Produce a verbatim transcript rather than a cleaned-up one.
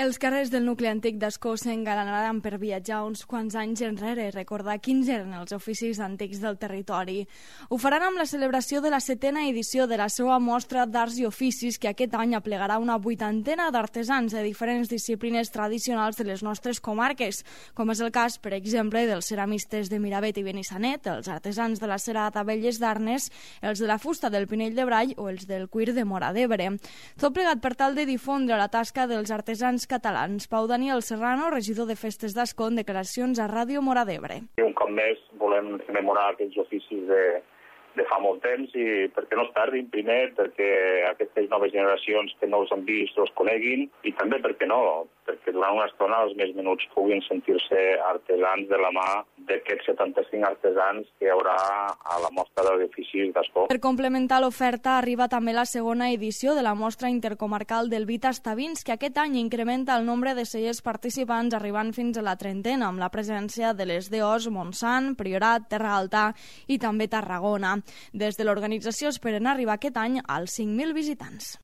Els carrers del nucli antic d'Ascó s'engalanaran per viatjar uns quants anys enrere i recordar quins eren els oficis antics del territori. Ho faran amb la celebració de la setena edició de la seva mostra d'arts i oficis, que aquest any aplegarà una vuitantena d'artesans de diferents disciplines tradicionals de les nostres comarques, com és el cas, per exemple, dels ceramistes de Miravet i Benissanet, els artesans de la cera d'Abelles d'Arnes, els de la fusta del Pinell de Brai o els del cuir de Móra d'Ebre. Tot plegat per tal de difondre la tasca dels artesans catalans. Pau Daniel Serrano, regidor de Festes d'Ascó, en declaracions a Ràdio Móra d'Ebre. Un cop més volem rememorar aquells oficis de, de fa molt temps i perquè no es perdin, primer, perquè aquestes noves generacions que no els han vist els coneguin i també, perquè no, perquè durant una estona els més menuts puguin sentir-se artesans de la mà d'aquests setanta-cinc artesans que hi haurà a la mostra d'oficis d'Ascó. Per complementar l'oferta arriba també la segona edició de la mostra intercomarcal del vi Tastavins, que aquest any incrementa el nombre de cellers participants arribant fins a la trentena, amb la presència de les D Os Montsant, Priorat, Terra Alta i també Tarragona. Des de l'organització esperen arribar aquest any als cinc mil visitants.